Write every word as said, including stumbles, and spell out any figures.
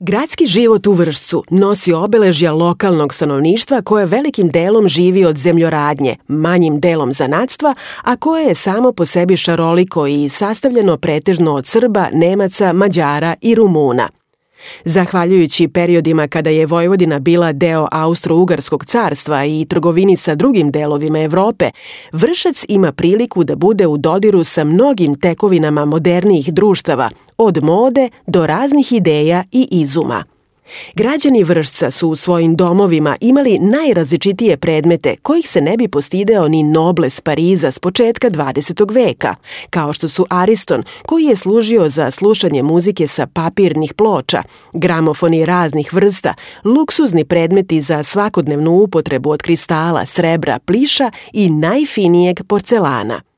Gradski život u Vršcu nosi obeležja lokalnog stanovništva koje velikim delom živi od zemljoradnje, manjim delom zanatstva, a koje je samo po sebi šaroliko i sastavljeno pretežno od Srba, Nemaca, Mađara i Rumuna. Zahvaljujući periodima kada je Vojvodina bila deo Austro-Ugarskog carstva i trgovini sa drugim delovima Evrope, Vršac ima priliku da bude u dodiru sa mnogim tekovinama modernijih društava, od mode do raznih ideja i izuma. Građani Vršca su u svojim domovima imali najrazličitije predmete kojih se ne bi postideo ni nobles Pariza s početka dvadesetog veka, kao što su Ariston, koji je služio za slušanje muzike sa papirnih ploča, gramofoni raznih vrsta, luksuzni predmeti za svakodnevnu upotrebu od kristala, srebra, pliša i najfinijeg porcelana.